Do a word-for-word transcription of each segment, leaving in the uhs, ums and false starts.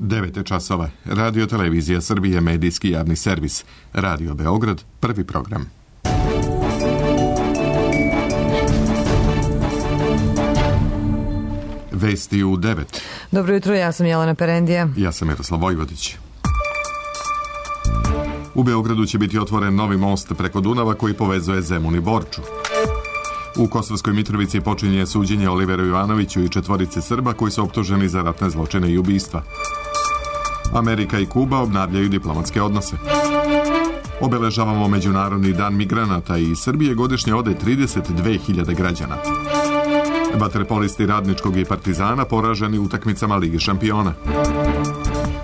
devet časova. Radio Televizija Srbije, medijski javni servis. Radio Beograd, prvi program. Vesti u devet. Dobro jutro, ja sam Jelena Perendija. Ja sam Miroslav Vojvodić. U Beogradu će biti otvoren novi most preko Dunava koji povezuje Zemun i Borču. U Kosovskoj Mitrovici počinje suđenje Oliveru Ivanoviću i četvorice Srba koji su optuženi za ratne zločine i ubistva. Amerika i Kuba obnavljaju diplomatske odnose. Obeležavamo Međunarodni dan migranata i iz Srbije godišnje ode trideset dve hiljade građana. Vaterpolisti Radničkog i Partizana poraženi utakmicama Lige šampiona.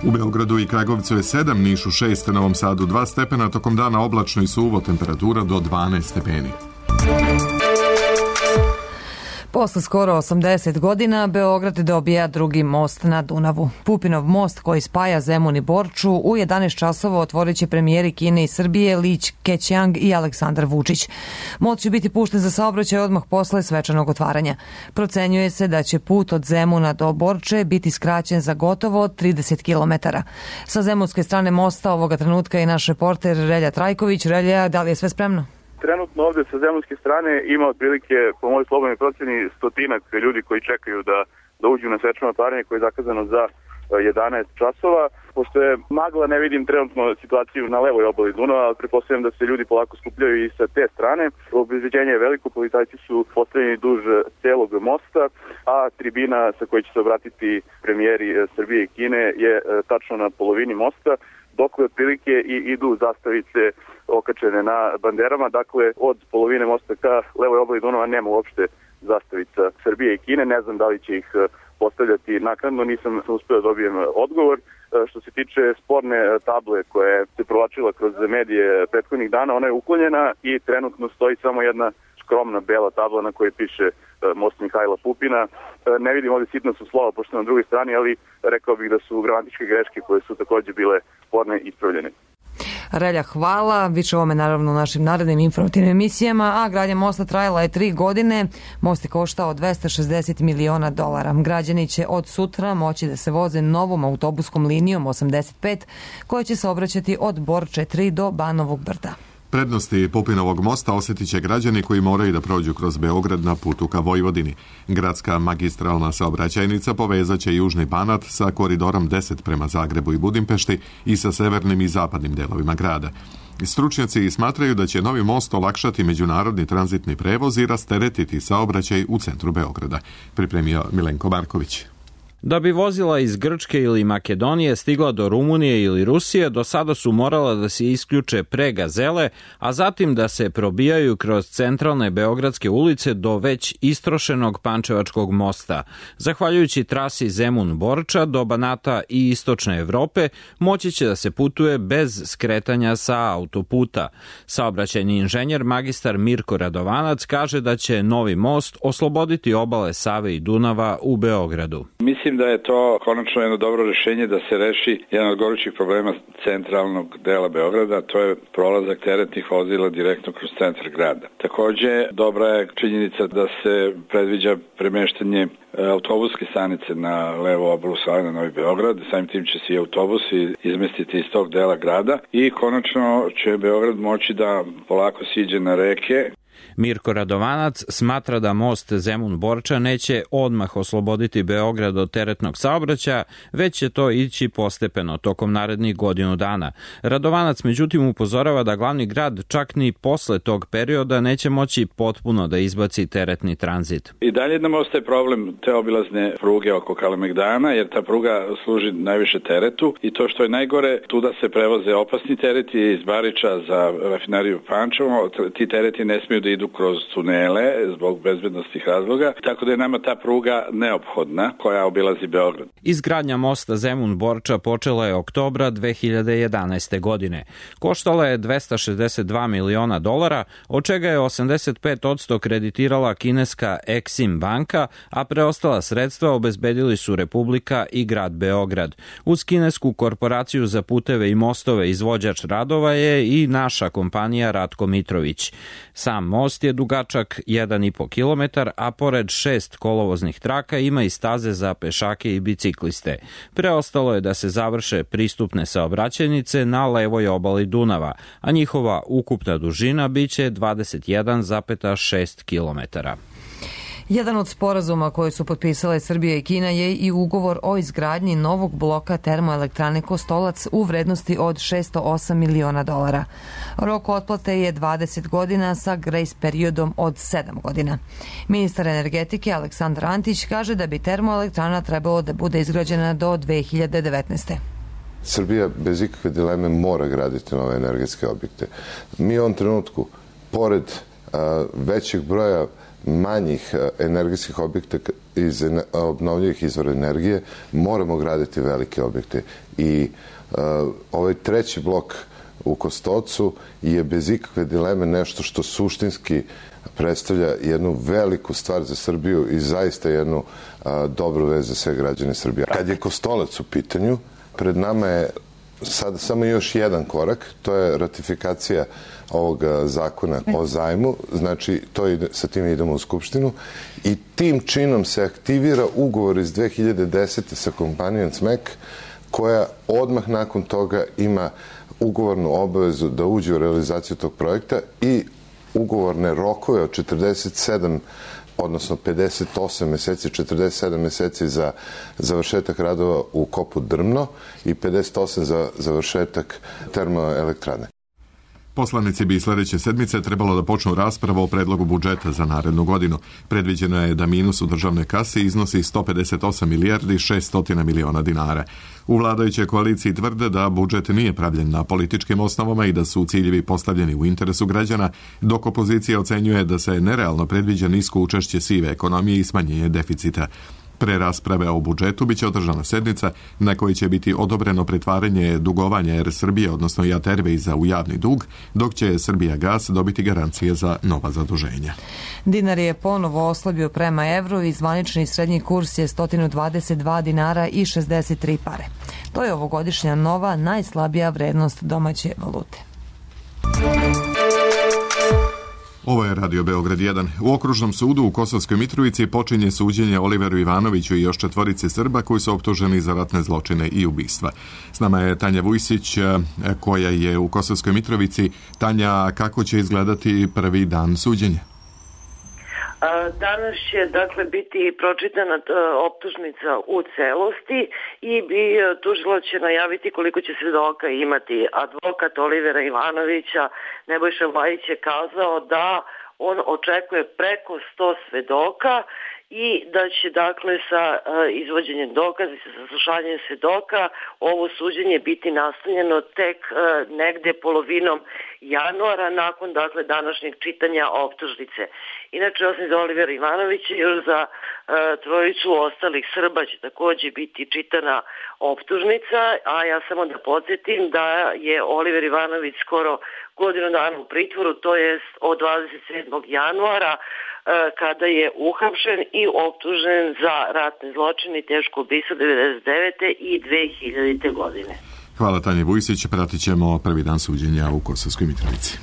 U Beogradu i Kragovcu je sedam, Nišu šest, Novom Sadu dva stepena, tokom dana oblačno i suvo, temperatura do dvanaest stepeni. Posle skoro osamdeset godina Beograd dobija drugi most na Dunavu. Pupinov most koji spaja Zemun i Borču u jedanaest časova otvorit će premijeri Kine i Srbije Li Keqiang i Aleksandar Vučić. Most će biti pušten za saobraćaj odmah posle svečanog otvaranja. Procenjuje se da će put od Zemuna do Borče biti skraćen za gotovo trideset kilometara. Sa zemunske strane mosta ovoga trenutka je naš reporter Relja Trajković. Relja, da li je sve spremno? Trenutno ovde sa zemunske strane ima otprilike, po mojoj slobodnoj proceni, stotinak ljudi koji čekaju da, da uđu na svečano otvaranje koje je zakazano za jedanaest časova. Pošto je magla, ne vidim trenutno situaciju na levoj obali Dunava, ali pretpostavljam da se ljudi polako skupljaju i sa te strane. Obezbeđenje je veliko, policajci su postavljeni duž celog mosta, a tribina sa kojoj će se obratiti premijeri Srbije i Kine je tačno na polovini mosta, dok otprilike i idu zastavice okačene na banderama. Dakle, od polovine mosta ka levoj obali Dunava nema uopšte zastavica Srbije i Kine. Ne znam da li će ih postavljati naknadno, nisam uspeo da dobijem odgovor. Što se tiče sporne table koje se provlačila kroz medije prethodnih dana, ona je uklonjena i trenutno stoji samo jedna skromna bela tabla na kojoj piše most Mihajla Pupina. Ne vidim ovdje sitno su slova pošto na drugoj strani, ali rekao bih da su gramatičke greške koje su također bile sporne ispravljene. Relja, hvala. Biće ovome naravno u našim narednim informativnim emisijama, a gradnja mosta trajala je tri godine. Most je koštao dvesta šezdeset miliona dolara. Građani će od sutra moći da se voze novom autobuskom linijom osamdeset pet koja će se obraćati od Borče tri do Banovog Brda. Prednosti Pupinovog mosta osjetit će građani koji moraju da prođu kroz Beograd na putu ka Vojvodini. Gradska magistralna saobraćajnica povezat će Južni Banat sa koridorom deset prema Zagrebu i Budimpešti i sa severnim i zapadnim delovima grada. Stručnjaci smatraju da će novi most olakšati međunarodni tranzitni prevoz i rasteretiti saobraćaj u centru Beograda, pripremio Milenko Marković. Da bi vozila iz Grčke ili Makedonije stigla do Rumunije ili Rusije, do sada su morala da se isključe pre Gazele, a zatim da se probijaju kroz centralne beogradske ulice do već istrošenog Pančevačkog mosta. Zahvaljujući trasi Zemun-Borča do Banata i istočne Evrope, moći će da se putuje bez skretanja sa autoputa. Saobraćajni inženjer magistar Mirko Radovanac kaže da će novi most osloboditi obale Save i Dunava u Beogradu. Mislim da je to konačno jedno dobro rješenje da se reši jedan od gorućih problema centralnog dela Beograda, to je prolazak teretnih vozila direktno kroz centar grada. Također, dobra je činjenica da se predviđa premeštanje autobuske stanice na levo obalu Save na Novi Beograd, samim tim će se i autobusi izmestiti iz tog dela grada i konačno će Beograd moći da polako siđe na reke. Mirko Radovanac smatra da most Zemun-Borča neće odmah osloboditi Beograd od teretnog saobraćaja, već će to ići postepeno tokom narednih godinu dana. Radovanac međutim upozorava da glavni grad čak ni posle tog perioda neće moći potpuno da izbaci teretni tranzit. I dalje nam ostaje problem te obilazne pruge oko Kalemegdana, jer ta pruga služi najviše teretu i to što je najgore, tuda se prevoze opasni tereti iz Bariča za rafineriju Pančevo, ti tereti ne smiju da idu kroz tunele zbog bezbednostnih razloga, tako da je nama ta pruga neophodna koja obilazi Beograd. Izgradnja mosta Zemun-Borča počela je oktobra dve hiljade jedanaeste. godine. Koštala je dvesta šezdeset dva miliona dolara, od čega je osamdeset pet posto kreditirala kineska Exim banka, a preostala sredstva obezbedili su Republika i grad Beograd. Uz kinesku korporaciju za puteve i mostove izvođač radova je i naša kompanija Ratko Mitrović. Sam most most je dugačak jedan i po kilometar, a pored šest kolovoznih traka ima i staze za pešake i bicikliste. Preostalo je da se završe pristupne saobraćajnice na levoj obali Dunava, a njihova ukupna dužina biće dvadeset jedan zarez šest kilometara. Jedan od sporazuma koje su potpisale Srbija i Kina je i ugovor o izgradnji novog bloka termoelektrane Kostolac u vrednosti od šesto osam miliona dolara. Rok otplate je dvadeset godina sa grejs periodom od sedam godina. Ministar energetike Aleksandar Antić kaže da bi termoelektrana trebalo da bude izgrađena do dve hiljade devetnaeste. Srbija bez ikakve dileme mora graditi nove energetske objekte. Mi u ovom trenutku, pored a, većeg broja manjih energetskih objekta iz obnovljivih izvora energije, moramo graditi velike objekte. I uh, ovaj treći blok u Kostolcu je bez ikakve dileme nešto što suštinski predstavlja jednu veliku stvar za Srbiju i zaista jednu uh, dobru vez za sve građane Srbije. Kad je Kostolac u pitanju, pred nama je sada samo još jedan korak, to je ratifikacija ovog zakona o zajmu, znači to ide, sa tim idemo u Skupštinu i tim činom se aktivira ugovor iz dve hiljade desete sa kompanijom C M E K koja odmah nakon toga ima ugovornu obavezu da uđe u realizaciju tog projekta i ugovorne rokove od četrdeset sedam odnosno pedeset osam meseci, četrdeset sedam meseci za završetak radova u kopu Drmno i pedeset osam za završetak termoelektrane. Poslanici bi sledeće sedmice trebalo da počnu raspravu o predlogu budžeta za narednu godinu. Predviđeno je da minus u državnoj kasi iznosi sto pedeset osam milijardi šesto miliona dinara. U vladajućoj koaliciji tvrde da budžet nije pravljen na političkim osnovama i da su ciljevi postavljeni u interesu građana, dok opozicija ocenjuje da se nerealno predviđa nisko učešće sive ekonomije i smanjenje deficita. Pre rasprave o budžetu biće održana sednica na kojoj će biti odobreno pretvaranje dugovanja Er Srbije, odnosno Jat Airwaysa u javni dug, dok će Srbija Gas dobiti garancije za nova zaduženja. Dinar je ponovo oslabio prema evru i zvanični srednji kurs je sto dvadeset dva dinara i šezdeset tri pare. To je ovogodišnja nova najslabija vrednost domaće valute. Ovo je Radio Beograd jedan. U Okružnom sudu u Kosovskoj Mitrovici počinje suđenje Oliveru Ivanoviću i još četvorice Srba koji su optuženi za ratne zločine i ubistva. S nama je Tanja Vujsić koja je u Kosovskoj Mitrovici. Tanja, kako će izgledati prvi dan suđenja? Danas će dakle biti pročitana optužnica u celosti i bi tužilo će najaviti koliko će svedoka imati. Advokat Olivera Ivanovića Nebojša Bajić je kazao da on očekuje preko sto svedoka i da će dakle sa izvođenjem dokaza i sa saslušanjem svedoka ovo suđenje biti nastavljeno tek negde polovinom januara nakon dakle današnjeg čitanja optužnice. Inače, osim za Olivera Ivanovića, još za e, trojicu ostalih Srba će takođe biti čitana optužnica, a ja samo da podsjetim da je Oliver Ivanović skoro godinu dana u pritvoru, to jest od dvadeset sedmog januara, e, kada je uhapšen i optužen za ratne zločine i teško ubistvo devedeset devete i dve hiljadite godine. Hvala Tanje Vujsić, pratit ćemo prvi dan suđenja u Kosovskoj Mitrovici.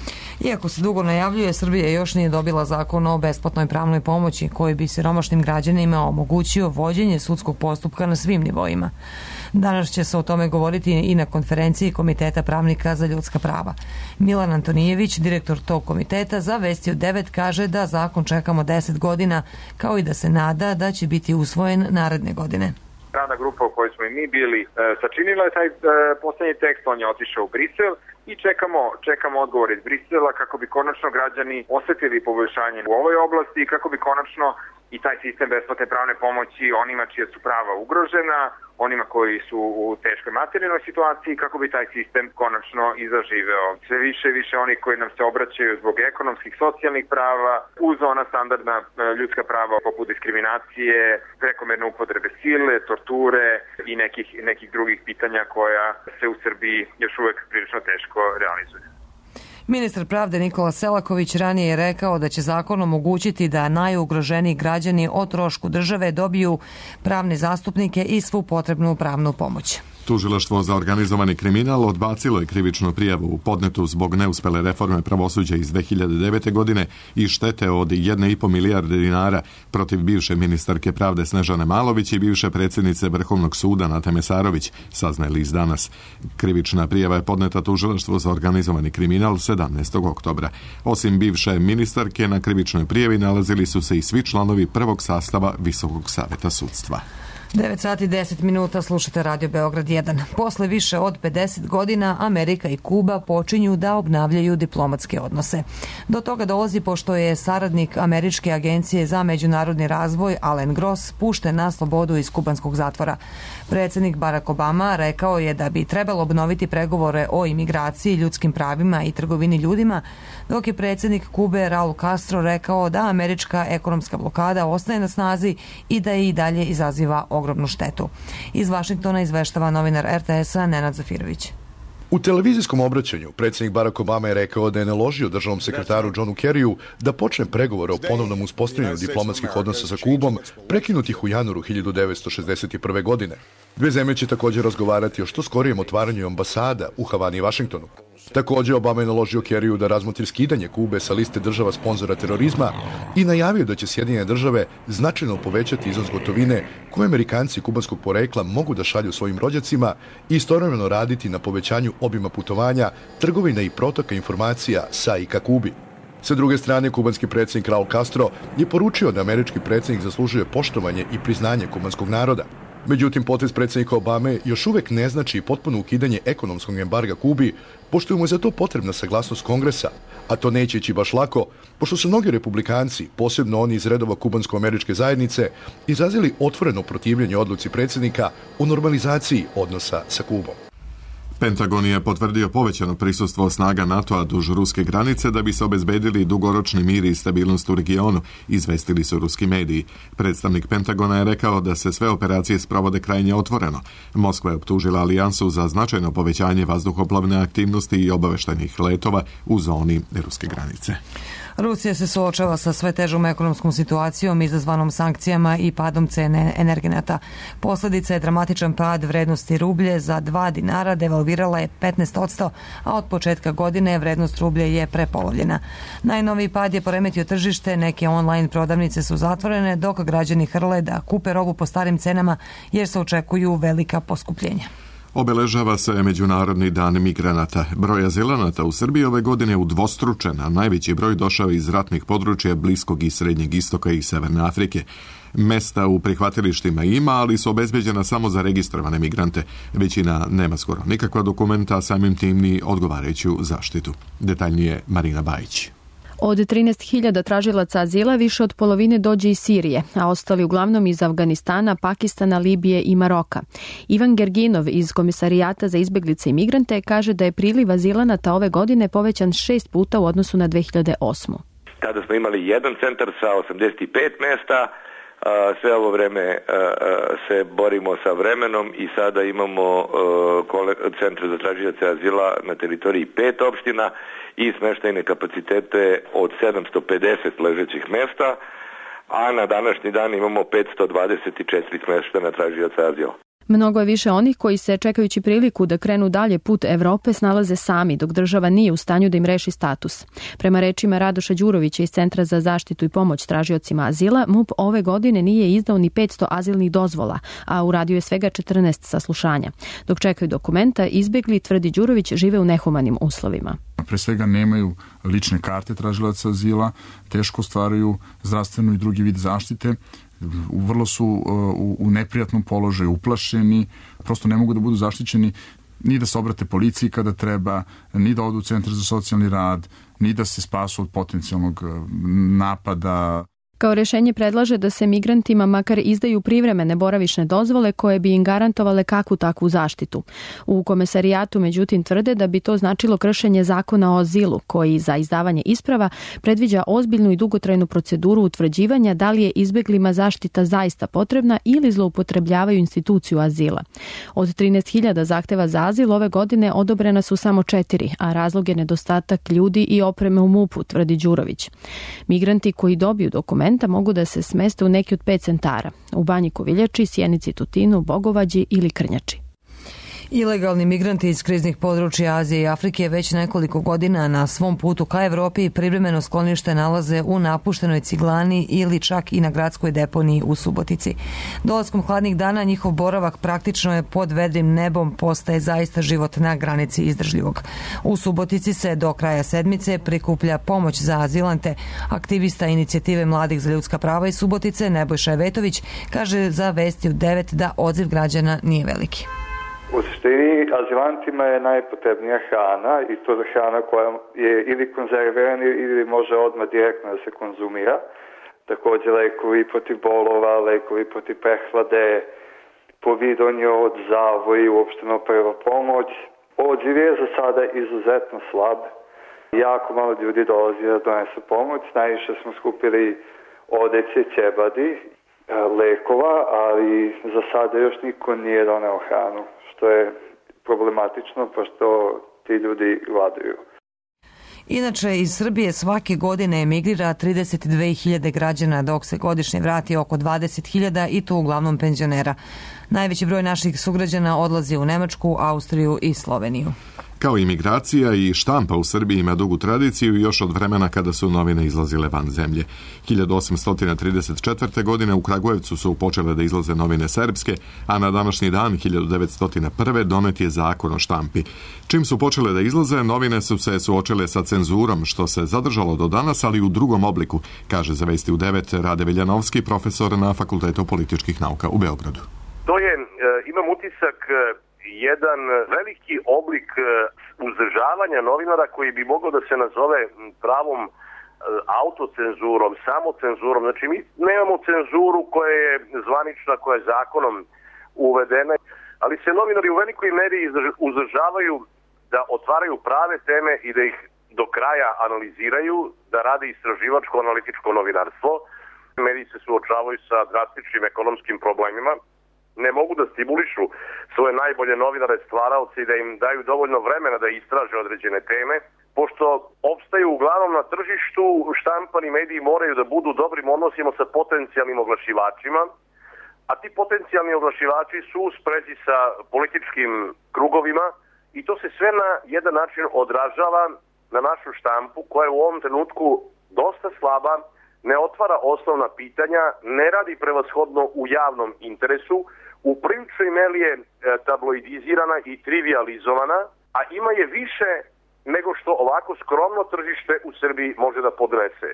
Iako se dugo najavljuje, Srbija još nije dobila zakon o besplatnoj pravnoj pomoći koji bi siromašnim građanima omogućio vođenje sudskog postupka na svim nivoima. Danas će se o tome govoriti i na konferenciji Komiteta pravnika za ljudska prava. Milan Antonijević, direktor tog komiteta, za Vesti od devet kaže da zakon čekamo deset godina, kao i da se nada da će biti usvojen naredne godine. Radna grupa u kojoj smo i mi bili e, sačinila je taj e, poslednji tekst, on je otišao u Brisel i čekamo, čekamo odgovor iz Brisela kako bi konačno građani osetili poboljšanje u ovoj oblasti i kako bi konačno i taj sistem besplatne pravne pomoći onima čija su prava ugrožena, onima koji su u teškoj materijalnoj situaciji, kako bi taj sistem konačno i zaživeo. Sve više i više oni koji nam se obraćaju zbog ekonomskih, socijalnih prava, uz ona standardna ljudska prava poput diskriminacije, prekomerne upotrebe sile, torture i nekih, nekih drugih pitanja koja se u Srbiji još uvek prilično teško realizuju. Ministar pravde Nikola Selaković ranije je rekao da će zakon omogućiti da najugroženiji građani o trošku države dobiju pravne zastupnike i svu potrebnu pravnu pomoć. Tužilaštvo za organizovani kriminal odbacilo je krivičnu prijavu podnetu zbog neuspele reforme pravosuđa iz dve hiljade devete. godine i štete od jedne i po milijarde dinara protiv bivše ministarke pravde Snežane Malović i bivše predsjednice Vrhovnog suda Nate Mesarović, saznaje list Danas. Krivična prijava je podneta Tužilaštvu za organizovani kriminal sedamnaestog oktobra. Osim bivše ministarke, na krivičnoj prijavi nalazili su se i svi članovi prvog sastava Visokog saveta sudstva. devet sati i deset minuta, slušate Radio Beograd jedan. Posle više od pedeset godina Amerika i Kuba počinju da obnavljaju diplomatske odnose. Do toga dolazi pošto je saradnik Američke agencije za međunarodni razvoj Alan Gross pušten na slobodu iz kubanskog zatvora. Predsjednik Barack Obama rekao je da bi trebalo obnoviti pregovore o imigraciji, ljudskim pravima i trgovini ljudima, dok je predsjednik Kube Raul Castro rekao da američka ekonomska blokada ostaje na snazi i da je i dalje izaziva ogromnu štetu. Iz Vašingtona izveštava novinar er te esa Nenad Zafirović. U televizijskom obraćanju predsjednik Barack Obama je rekao da je naložio državnom sekretaru Johnu Kerryu da počne pregovore o ponovnom uspostavljanju diplomatskih odnosa sa Kubom, prekinutih u januaru hiljadu devetsto šezdeset prve. godine. Dve zemlje će također razgovarati o što skorijem otvaranju ambasada u Havani i Vašingtonu. Također Obama je naložio Kerryu da razmotri skidanje Kube sa liste država sponzora terorizma i najavio da će Sjedinjene države značajno povećati iznos gotovine koje Amerikanci kubanskog porekla mogu da šalju svojim rođacima i istovremeno raditi na povećanju obima putovanja, trgovine i protoka informacija sa i ka Kubi. Sa druge strane, kubanski predsjednik Raul Castro je poručio da američki predsjednik zaslužuje poštovanje i priznanje kubanskog naroda. Međutim, potez predsjednika Obame još uvijek ne znači potpuno ukidanje ekonomskog embarga Kubi, pošto mu je za to potrebna saglasnost Kongresa, a to neće ići baš lako, pošto su mnogi republikanci, posebno oni iz redova kubansko-američke zajednice, izrazili otvoreno protivljenje odluci predsjednika o normalizaciji odnosa sa Kubom. Pentagon je potvrdio povećano prisustvo snaga NATO-a duž ruske granice da bi se obezbedili dugoročni mir i stabilnost u regionu, izvestili su ruski mediji. Predstavnik Pentagona je rekao da se sve operacije sprovode krajnje otvoreno. Moskva je optužila alijansu za značajno povećanje vazduhoplovne aktivnosti i obaveštajnih letova u zoni ruske granice. Rusija se suočava sa sve težom ekonomskom situacijom izazvanom sankcijama i padom cene energenata. Posljedica je dramatičan pad vrednosti rublje, za dva dinara devalvirala je petnaest posto, a od početka godine vrednost rublje je prepolovljena. Najnoviji pad je poremetio tržište, neke online prodavnice su zatvorene, dok građani hrle da kupe robu po starim cenama jer se očekuju velika poskupljenja. Obeležava se Međunarodni dan migranata. Broj azilanata u Srbiji ove godine udvostručen, a najveći broj došao iz ratnih područja Bliskog i Srednjeg istoka i Severne Afrike. Mesta u prihvatilištima ima, ali su obezbeđena samo za registrovane migrante. Većina nema skoro nikakva dokumenta, a samim tim ni odgovarajuću zaštitu. Detaljnije Marina Bajić. Od trinaest hiljada tražilaca azila više od polovine dođe iz Sirije, a ostali uglavnom iz Afganistana, Pakistana, Libije i Maroka. Ivan Gerginov iz Komisarijata za izbeglice i migrante kaže da je priliv azilanata ove godine povećan šest puta u odnosu na dve hiljade osmu. Tada smo imali jedan centar sa osamdeset pet mesta, sve ovo vreme se borimo sa vremenom i sada imamo centre za tražioce azila na teritoriji pet opština i smeštajne kapacitete od sedamsto pedeset ležećih mesta, a na današnji dan imamo petsto dvadeset četiri smeštajna tražioca azila. Mnogo je više onih koji se, čekajući priliku da krenu dalje put Evrope, snalaze sami, dok država nije u stanju da im reši status. Prema rečima Radoša Đurovića iz Centra za zaštitu i pomoć tražiocima azila, MUP ove godine nije izdao ni petsto azilnih dozvola, a uradio je svega četrnaest saslušanja. Dok čekaju dokumenta, izbegli, tvrdi Đurović, žive u nehumanim uslovima. Pre svega nemaju lične karte tražilaca azila, teško ostvaruju zdravstvenu i drugi vid zaštite, vrlo su u, u neprijatnom položaju, uplašeni, prosto ne mogu da budu zaštićeni ni da se obrate policiji kada treba, ni da odu u centar za socijalni rad, ni da se spasu od potencijalnog napada. Kao rješenje predlaže da se migrantima makar izdaju privremene boravišne dozvole koje bi im garantovale kakvu takvu zaštitu. U Komesarijatu međutim tvrde da bi to značilo kršenje zakona o azilu, koji za izdavanje isprava predviđa ozbiljnu i dugotrajnu proceduru utvrđivanja da li je izbeglima zaštita zaista potrebna ili zloupotrebljavaju instituciju azila. Od trinaest hiljada zahteva za azil ove godine odobrena su samo četiri, a razlog je nedostatak ljudi i opreme u MUP-u, tvrdi Đurović. Migranti koji dobiju dokument mogu da se smeste u neki od pet centara, u Banji Koviljači, Sjenici, Tutinu, Bogovađi ili Krnjači. Ilegalni migranti iz kriznih područja Azije i Afrike već nekoliko godina na svom putu ka Evropi privremeno sklonište nalaze u napuštenoj ciglani ili čak i na gradskoj deponiji u Subotici. Dolaskom hladnih dana njihov boravak praktično je pod vedrim nebom, postaje zaista život na granici izdržljivog. U Subotici se do kraja sedmice prikuplja pomoć za azilante. Aktivista inicijative Mladih za ljudska prava iz Subotice Nebojša Evetović kaže za Vesti u devet da odziv građana nije veliki. U suštini, azilantima je najpotrebnija hrana i to je hrana koja je ili konzervirana ili može odmah direktno da se konzumira. Također lekovi protiv bolova, lekovi protiv prehlade, povidonje od zavoji, uopšteno prva pomoć. Odziv je za sada izuzetno slab. Jako malo ljudi dolazi da donesu pomoć. Najviše smo skupili odeće, ćebadi, lekova, ali za sada još niko nije doneo hranu, što je problematično, pošto ti ljudi gladuju. Inače, iz Srbije svake godine emigrira trideset dve hiljade građana, dok se godišnje vrati oko dvadeset hiljada i to uglavnom penzionera. Najveći broj naših sugrađana odlazi u Nemačku, Austriju i Sloveniju. Kao imigracija i štampa u Srbiji ima dugu tradiciju još od vremena kada su novine izlazile van zemlje. hiljadu osamsto trideset četvrte. godine u Kragujevcu su počele da izlaze novine srpske, a na današnji dan hiljadu devetsto prve. donet je zakon o štampi. Čim su počele da izlaze, novine su se suočile sa cenzurom, što se zadržalo do danas, ali u drugom obliku, kaže za Vesti u devet Rade Veljanovski, profesor na Fakultetu političkih nauka u Beogradu. To je, imam utisak, jedan veliki oblik uzdržavanja novinara koji bi mogao da se nazove pravom autocenzurom, samocenzurom. Znači mi nemamo cenzuru koja je zvanična, koja je zakonom uvedena, ali se novinari u velikoj meri uzdržavaju da otvaraju prave teme i da ih do kraja analiziraju, da rade istraživačko-analitičko novinarstvo. Mediji se suočavaju sa drastičnim ekonomskim problemima, ne mogu da stimulišu svoje najbolje novinare, stvaraoce i da im daju dovoljno vremena da istraže određene teme. Pošto opstaju uglavnom na tržištu, štampani mediji moraju da budu u dobrim odnosima sa potencijalnim oglašivačima, a ti potencijalni oglašivači su u sprezi sa političkim krugovima i to se sve na jedan način odražava na našu štampu koja je u ovom trenutku dosta slaba, ne otvara osnovna pitanja, ne radi prevashodno u javnom interesu, u priličnoj meri je tabloidizirana i trivializovana, a ima je više nego što ovako skromno tržište u Srbiji može da podnese.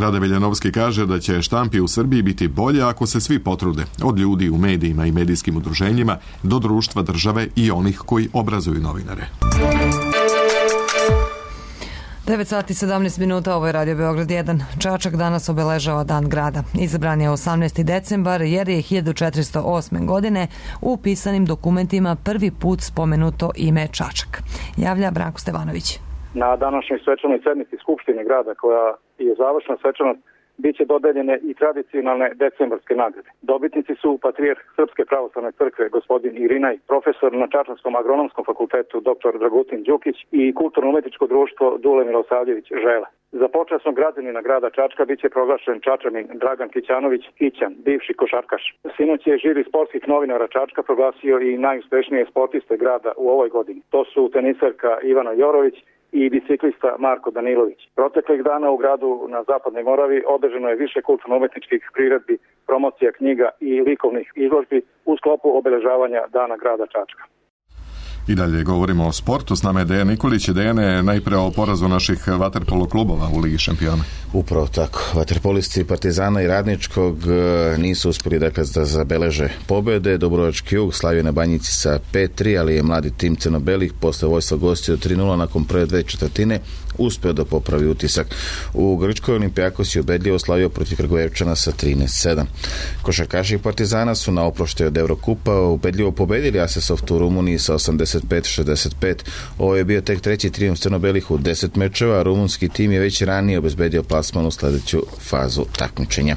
Rade Veljanovski kaže da će štampi u Srbiji biti bolje ako se svi potrude, od ljudi u medijima i medijskim udruženjima do društva, države i onih koji obrazuju novinare. devet sati sedamnaest minuta, ovo je Radio Beograd jedan. Čačak danas obeležava Dan grada. Izabran je osamnaesti decembar jer je hiljadu četiristo osme. godine u pisanim dokumentima prvi put spomenuto ime Čačak. Javlja Branko Stevanović. Na današnjoj svečanoj sednici Skupštine grada, koja je završna svečanost, biće dodeljene i tradicionalne decembarske nagrade. Dobitnici su patrijarh Srpske pravoslavne crkve gospodin Irinaj, profesor na Čačanskom agronomskom fakultetu doktor Dragutin Đukić i kulturno-umetničko društvo Dule Milosavljević Žele. Za počasnog građanina grada Čačka biće proglašen Čačanin Dragan Kićanović Kićan, bivši košarkaš. Sinoć je žiri sportskih novinara Čačka proglasio i najuspešnije sportiste grada u ovoj godini. To su tenisarka Ivana Jorović i biciklista Marko Danilović. Proteklih dana u gradu na Zapadnoj Moravi održano je više kulturno-umetničkih priredbi, promocija knjiga i likovnih izložbi u sklopu obeležavanja Dana grada Čačka. I dalje govorimo o sportu. S nama je Dejan Nikolić. Dejane, najpre o porazu naših vaterpolo klubova u Ligi šampiona. Upravo tako. Vaterpolisti Partizana i Radničkog nisu uspjeli dakle da zabeleže pobjede. Dubrovački Jug slavio na Banjici sa pet tri, ali je mladi tim crno-belih posle vojstva gostio tri nula nakon prve dve četvrtine uspeo da popravi utisak. U Grčkoj Olimpijakos je ubedljivo slavio protiv Kragujevčana sa trinaest sedam. Košarkaši Partizana su na oproštaju od Eurokupa ubedljivo pobedili Asesoftu u Rumuniji sa osamdeset pet šezdeset pet. Ovo je bio tek treći trijumf crno-belih u deset mečeva, a rumunski tim je već ranije obezbedio plasman u sledeću fazu takmičenja.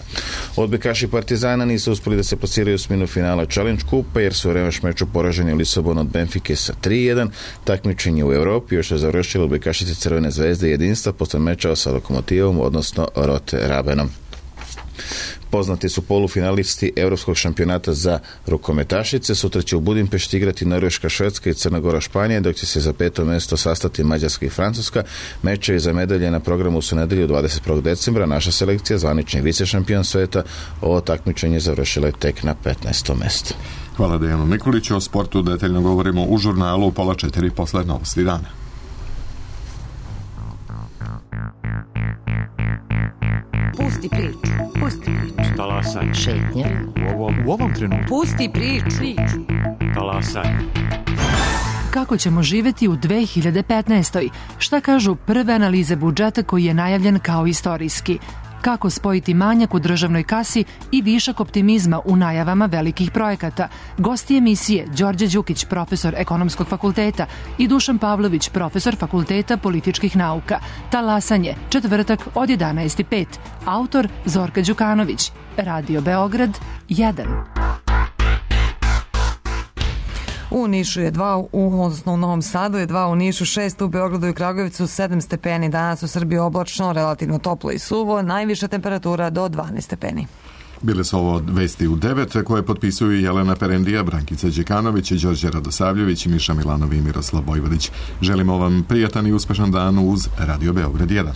Odbojkaši Partizana nisu uspeli da se plasiraju u osminu finala Challenge Kupa jer su u revanš meču poraženi u Lisabonu od Benfike sa tri jedan. Takmičenje u Evropi još je završilo odbojkašice Crvene zvezde jedinstva posle meča sa Lokomotivom, odnosno Rote Rabenom. Poznati su polufinalisti Europskog šampionata za rukometašice. Sutra će u Budimpešti igrati Norveška, Švedska i Crna Gora, Španija, dok će se za peto mjesto sastati Mađarska i Francuska. Mečevi za medalje na programu su nedelju dvadeset prvog decembra. Naša selekcija, zvanični vice šampion sveta, ovo takmičenje završila je tek na petnaestom mjestu. Hvala Dejanu Nikoliću. O sportu detaljno govorimo u žurnalu u pola četiri posle Novosti dana. Pusti priču, pusti priču. Talasaj. Šetnja. U ovom, u ovom trenutku. Pusti priču. Talasaj. Kako ćemo živjeti u dve hiljade petnaestoj. Šta kažu prve analize budžeta koji je najavljen kao istorijski? Kako spojiti manjak u državnoj kasi i višak optimizma u najavama velikih projekata? Gosti emisije Đorđe Đukić, profesor Ekonomskog fakulteta, i Dušan Pavlović, profesor Fakulteta političkih nauka. Talasanje, četvrtak od jedanaest i pet. Autor Zorka Đukanović. Radio Beograd jedan. U Nišu je dva, u, odnosno u Novom Sadu je dva, u Nišu šest, u Beogradu i Kragujevcu sedam stepeni. Danas u Srbiji oblačno, relativno toplo i suvo, najviša temperatura do dvanaest stepeni. Bile su ovo vesti u devet koje potpisuju Jelena Perendija, Brankica Đekanović, Đorđe Radosavljević, Miša Milanov i Miroslav Vojvodić. Želimo vam prijatan i uspešan dan uz Radio Beograd jedan.